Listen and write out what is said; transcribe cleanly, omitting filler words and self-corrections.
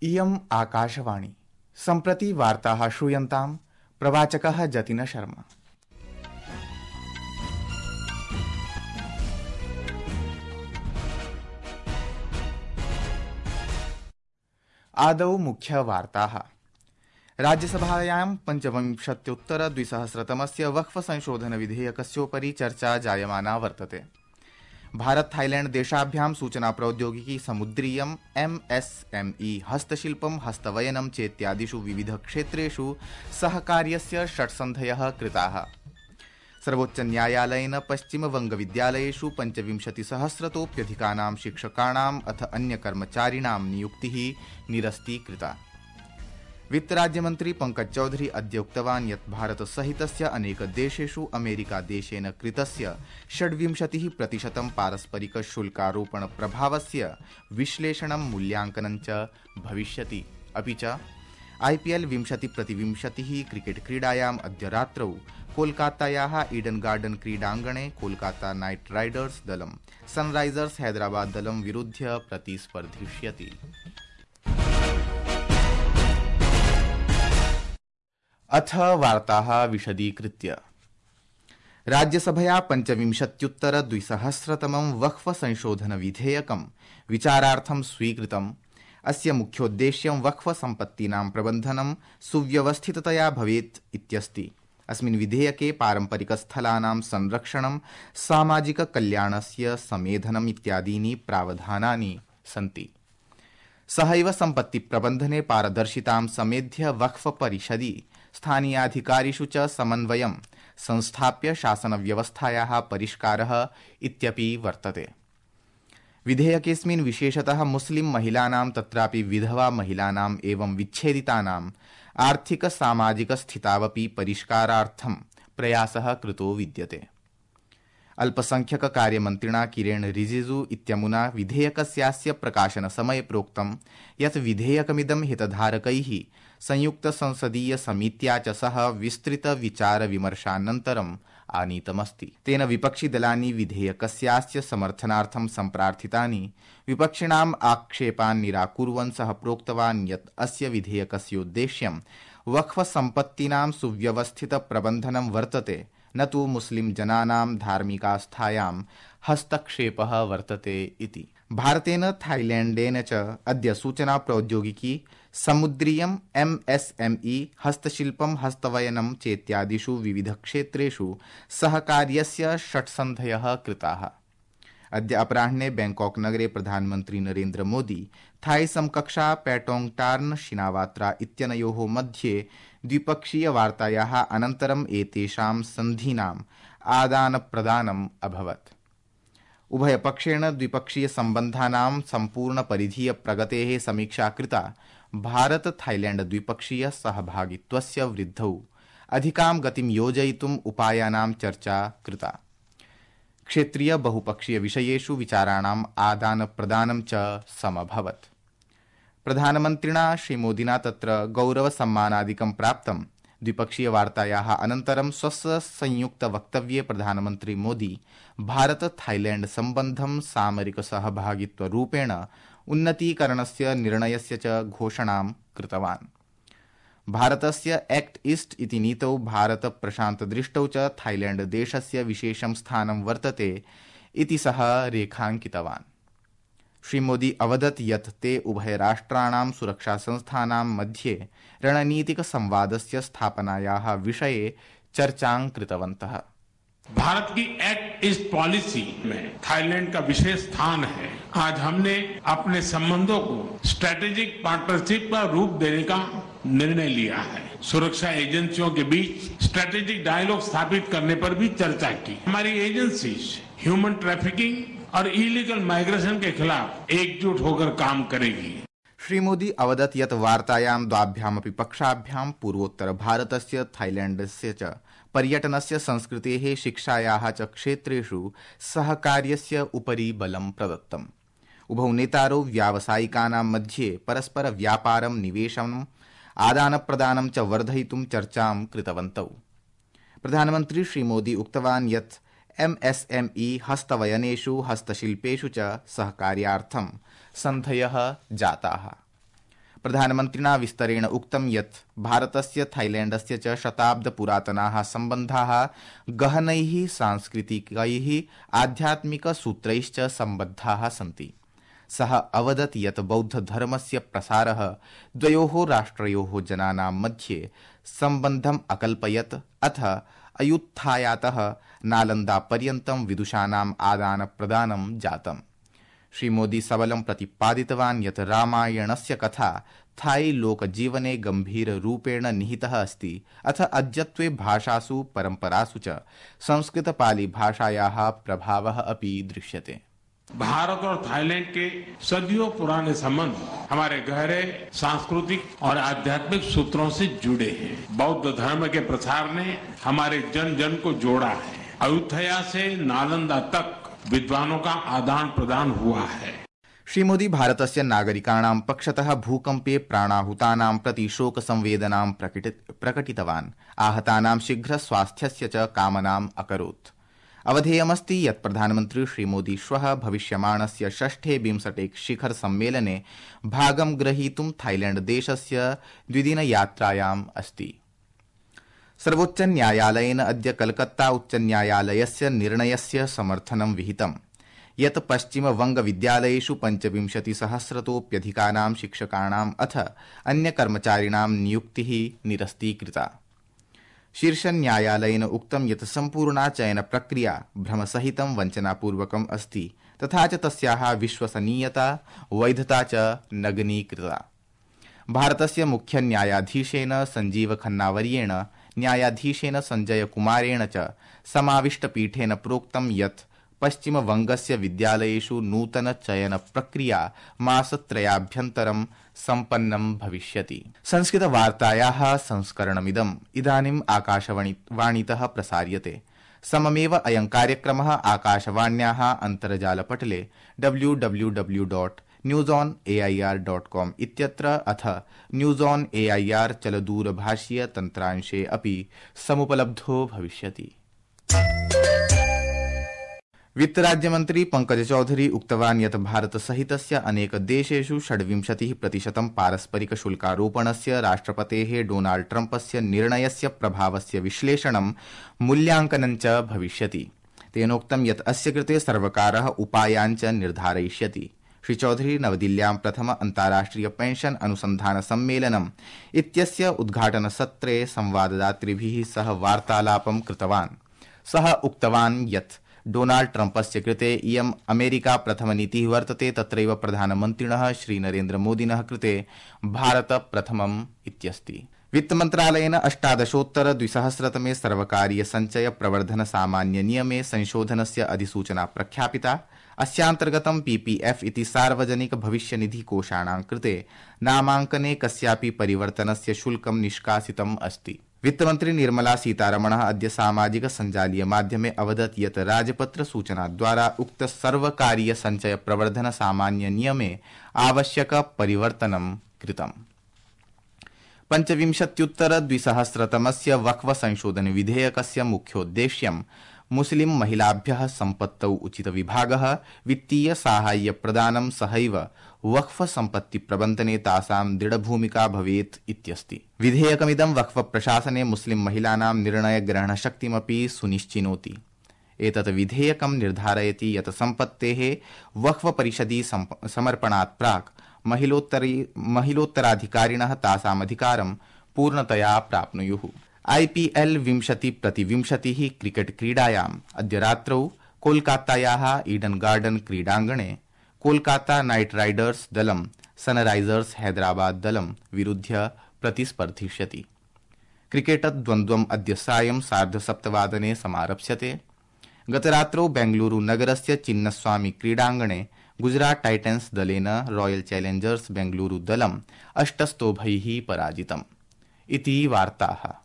इयम् आकाशवाणी सम्प्रति वार्ताः श्रूयन्ताम् प्रवाचकः जतिन शर्मा। आदौ मुख्यवार्ताः। राज्यसभायां 25-द्विसहस्रतमस्य वक्फ संशोधन विधेयकस्योपरि चर्चा जायमाना वर्तते। भारत थाईलैंड देशाभ्यां सूचना प्रौद्योगिकी समुद्रीयम् MSME हस्तशिल्पं हस्तवयनं चेत्यादिषु विविध क्षेत्रेषु सहकार्यस्य षट्सन्धयः कृताः। सर्वोच्च न्यायालयेन पश्चिमवंगविद्यालयेषु 25,000तोऽप्यधिकानां शिक्षकाणाम् अथ अन्य कर्मचारिणां नियुक्तिः निरस्तीकृता। वित्तराज्यमन्त्री पंकज चौधरी अद्य उक्तवान् यत् भारत सहितस्य अनेक देशेषु अमेरिका देशेन कृतस्य 26% पारस्परिक शुल्कारोपण प्रभावस्य विश्लेषणं मूल्यांकनं च भविष्यति। अपि च IPL 20-20 क्रिकेट क्रीडायाम् अद्य रात्रौ कोलकातायाः ईडन गार्डन क्रीडाङ्गणे कोलकाता नाइट राइडर्स दलं सनराइजर्स हैदराबाद दलं विरुध्य प्रतिस्पर्धिष्यति। अथ वार्ताः विशदीकृत्य। राज्यसभया 25-द्विसहस्रतमं वक्फ संशोधन विधेयकं विचारार्थं स्वीकृतम्। अस्य मुख्योद्देश्यं वक्फ सम्पत्तीनां प्रबन्धनं सुव्यवस्थिततया भवेत् इत्यस्ति। अस्मिन् विधेयके पारम्परिकस्थलानां संरक्षणं, सामाजिक कल्याणस्य समेधनम् इत्यादीनि प्रावधानानि सन्ति। सहैव सम्पत्ति प्रबन्धने पारदर्शितां समेध्य वक्फ परिषदि स्थानीयाधिकारिषु च समन्वयं संस्थाप्य शासनव्यवस्थायाः परिष्कारः इत्यपि वर्तते। विधेयकेऽस्मिन् विशेषतः मुस्लिम महिलानां तत्रापि विधवा महिलानाम् एवं विच्छेदितानाम् आर्थिक सामाजिक स्थितावपि परिष्कारार्थं प्रयासः कृतो विद्यते। अल्पसंख्यक कार्यमन्त्रिणा किरेण रिजिजू इत्यमुना विधेयकस्यास्य प्रकाशनसमये प्रोक्तं यत् विधेयकमिदं हितधारकैः संयुक्त संसदीय समित्या च सह विस्तृत विचार विमर्शानन्तरम् आनीतमस्ति। तेन विपक्षिदलानि विधेयकस्यास्य समर्थनार्थं सम्प्रार्थितानि विपक्षिणाम् आक्षेपान् निराकुर्वन् सः प्रोक्तवान् यत् अस्य विधेयकस्योद्देश्यं वक्फ सम्पत्तीनां सुव्यवस्थित प्रबन्धनं वर्तते, न तु मुस्लिम जनानां धार्मिकास्थायां हस्तक्षेपः वर्तते इति। भारतेन थाईलैंडेन च अद्य सूचना प्रौद्योगिकी समुद्रीयम् MSME हस्तशिल्पं हस्तवयनं चेत्यादिषु विविध क्षेत्रेषु सहकार्यस्य षट्सन्धयः कृताः। अद्य अपराह्ने बैंकॉक नगरे प्रधानमन्त्री नरेन्द्र मोदी थाई समकक्षा पैटोंगटार्न शिनावात्रा इत्यनयोः मध्ये द्विपक्षीय वार्तायाः अनन्तरम् एतेषां सन्धीनाम् आदानप्रदानम् अभवत्। उभयपक्षेण द्विपक्षीय सम्बन्धानां सम्पूर्ण परिधीय प्रगतेः समीक्षा कृता। भारत थाईलैंड द्विपक्षीय सहभागित्वस्य वृद्धौ अधिकां गतिं योजयितुम् उपायानां चर्चा कृता। क्षेत्रीय बहुपक्षीय विषयेषु विचाराणाम् आदानप्रदानं च समभवत्। प्रधानमन्त्रिणा श्रीमोदिना तत्र गौरवसम्मानादिकं प्राप्तम्। द्विपक्षीय वार्तायाः अनन्तरं स्वस्य संयुक्त वक्तव्ये प्रधानमन्त्री मोदी भारत थाईलैंड सम्बन्धं सामरिक सहभागित्वरूपेण उन्नतीकरणस्य निर्णयस्य च घोषणां कृतवान्। भारतस्य एक्ट ईस्ट इति नीतौ भारत प्रशान्त दृष्टौ च थाईलैंड देशस्य विशेषं स्थानं वर्तते इति सः रेखाङ्कितवान्। श्रीमोदी अवदत् यत् ते उभयराष्ट्राणां सुरक्षासंस्थानां मध्ये रणनीतिक संवादस्य स्थापनायाः विषये चर्चां कृतवन्तः। भारत की एक्ट ईस्ट पॉलिसी में थाईलैंड का विशेष स्थान है। आज हमने अपने संबंधों को स्ट्रेटेजिक पार्टनरशिप का रूप देने का निर्णय लिया है। सुरक्षा एजेंसियों के बीच स्ट्रेटेजिक डायलॉग स्थापित करने पर भी चर्चा की। हमारी एजेंसीज ह्यूमन ट्रैफिकिंग और इलीगल माइग्रेशन के खिलाफ एकजुट होकर काम करेगी। श्रीमोदी अवदत् यत् वार्तायां द्वाभ्यामपि पक्षाभ्यां पूर्वोत्तर भारतस्य थाईलैंडस्य च पर्यटनस्य संस्कृतेः शिक्षायाः च क्षेत्रेषु सहकार्यस्य उपरि बलं प्रदत्तम्। उभौ नेतारौ व्यावसायिकानां मध्ये परस्पर व्यापारं निवेशनम् आदानप्रदानं च वर्धयितुं चर्चां कृतवन्तौ। प्रधानमन्त्री श्रीमोदी उक्तवान् यत् MSME हस्तवयनेषु हस्तशिल्पेषु च सहकार्यार्थं सन्धयः जाताः। प्रधानमन्त्रिणा विस्तरेण उक्तं यत् भारतस्य थाईलैण्डस्य च शताब्दपुरातनाः सम्बन्धाः गहनैः सांस्कृतिकैः आध्यात्मिकसूत्रैश्च सम्बद्धाः सन्ति। सः अवदत् यत् बौद्धधर्मस्य प्रसारः द्वयोः राष्ट्रयोः जनानां मध्ये सम्बन्धम् अकल्पयत् अथ अयुत्थायातः नालन्दापर्यन्तं विदुषाणाम् आदानप्रदानं जातम्। श्रीमोदी सबलं प्रतिपादितवान् यत् रामायणस्य कथा थाई लोकजीवने गम्भीररूपेण निहितः अस्ति अथ अद्यत्वे भाषासु परम्परासु च संस्कृतपालीभाषायाः प्रभावः अपि दृश्यते। भारत और थाईलैंड के सदियों पुराने संबंध हमारे गहरे सांस्कृतिक और आध्यात्मिक सूत्रों से जुड़े हैं। बौद्ध धर्म के प्रसार ने हमारे जन जन को जोड़ा है। अयोध्या से नालंदा तक विद्वानों का आदान प्रदान हुआ है। श्री मोदी भारतस्य नागरिकाणां पक्षतः भूकम्पे प्राणाहुतानां प्रति शोक संवेदनां प्रकटितवान्। आहतानां शीघ्र स्वास्थ्यस्य च कामनाम् अकरोत्। अवधेयमस्ति यत् प्रधानमन्त्री श्रीमोदी श्वः भविष्यमाणस्य षष्ठे बिम्सटेक् शिखर सम्मेलने भागं ग्रहीतुं थाईलैण्ड देशस्य द्विदिनयात्रायाम् अस्ति। सर्वोच्च न्यायालयेन अद्य कलकत्ता उच्च न्यायालयस्य निर्णयस्य समर्थनं विहितम् यत् पश्चिमवंगविद्यालयेषु 25,000तोऽप्यधिकानां शिक्षकाणाम् अथ अन्यकर्मचारिणां नियुक्तिः निरस्तीकृता। शीर्षन्यायालयेन उक्तं यत् सम्पूर्णा चयनप्रक्रिया भ्रमसहितं वञ्चनापूर्वकम् अस्ति तथा च तस्याः विश्वसनीयता वैधता च नगनीकृता। भारतस्य मुख्य न्यायाधीशेन संजीव खन्नावर्येण न्यायाधीशेन संजय कुमारेण च समाविष्टपीठेन प्रोक्तं यत् पश्चिमवंगस्य विद्यालयेषु नूतन चयन प्रक्रिया मासत्रयाभ्यन्तरं सम्पन्नं भविष्यति। संस्कृतवार्तायाः संस्करणमिदम् इदानीम् आकाशवाणीतः प्रसार्यते। सममेव अयं कार्यक्रमः आकाशवाण्याः अन्तर्जालपटले www.newsonair.com इत्यत्र अथ न्यूज़ ऑन एआईआर चलदूरभाषीय तन्त्रांशे अपि समुपलब्धो भविष्यति। वित्तराज्यमन्त्री पंकज चौधरी उक्तवान् यत् भारतसहितस्य अनेक देशेषु 26% पारस्परिक शुल्कारोपणस्य राष्ट्रपतेः डोनाल्ड ट्रम्पस्य निर्णयस्य प्रभावस्य विश्लेषणं मूल्यांकनं च भविष्यति। तेनोक्तं यत् अस्य कृते सर्वकारः उपायान् च निर्धारयिष्यति। श्री चौधरी नवदिल्ल्यां प्रथम अन्ताराष्ट्रिय पेंशन अनुसन्धान सम्मेलनम् इत्यस्य उद्घाटनसत्रे संवाददातृभिः सह वार्तालापं कृतवान्। सः उक्तवान् यत् डोनाल्ड ट्रम्पस्य कृते इयम् अमेरिका प्रथमनीतिः वर्तते, तत्रैव प्रधानमन्त्रिणः श्रीनरेन्द्रमोदिनः कृते भारत प्रथमम् इत्यस्ति। वित्तमन्त्रालयेन 18-द्विसहस्रतमे सर्वकारीय संचय प्रवर्धन सामान्य नियमे संशोधनस्य अधिसूचना प्रख्यापिता। अस्यान्तर्गतं पीपीएफ इति सार्वजनिक भविष्यनिधि कोषाणां कृते नामाङ्कने कस्यापि परिवर्तनस्य शुल्कं निष्कासितम् अस्ति। वित्तमन्त्री निर्मला सीतारमणः अद्य सामाजिक सञ्जालीय माध्यमे अवदत् यत् राजपत्र सूचनाद्वारा उक्त सर्वकारीय संचय प्रवर्धन सामान्य नियमे आवश्यक परिवर्तनं कृतम्। 25-द्विसहस्रतमस्य वक्फ संशोधन विधेयकस्य मुख्योद्देश्यं मुस्लिम महिलाभ्यः सम्पत्तौ उचित विभागः, वित्तीय साहाय्य प्रदानं सहैव वक्फ सम्पत्ति प्रबन्धने तासां दृढभूमिका भवेत् इत्यस्ति। विधेयकमिदं वक्फ प्रशासने मुस्लिम महिलानां निर्णयग्रहणशक्तिमपि सुनिश्चिनोति। एतत् विधेयकं निर्धारयति यत् सम्पत्तेः वक्फ परिषदि समर्पणात् प्राक् महिलोत्तराधिकारिणः तासाम् अधिकारं पूर्णतया प्राप्नुयुः। IPL 20-20 क्रिकेट क्रीडायाम् अद्य रात्रौ कोलकातायाः ईडन गार्डन क्रीडाङ्गणे कोलकाता नाइट राइडर्स दलं सनराइजर्स हैदराबाद दलं विरुध्य प्रतिस्पर्धिष्यति। क्रिकेट द्वन्द्वम् अद्य सायं 7:30 समारप्स्यते। गतरात्रौ बेंगलुरु नगरस्य चिन्नस्वामी क्रीडाङ्गणे गुजरात टाइटन्स दलेन रॉयल चैलेंजर्स बेंगलुरु दलं 8 स्तोभैः पराजितम्। इति वार्ताः।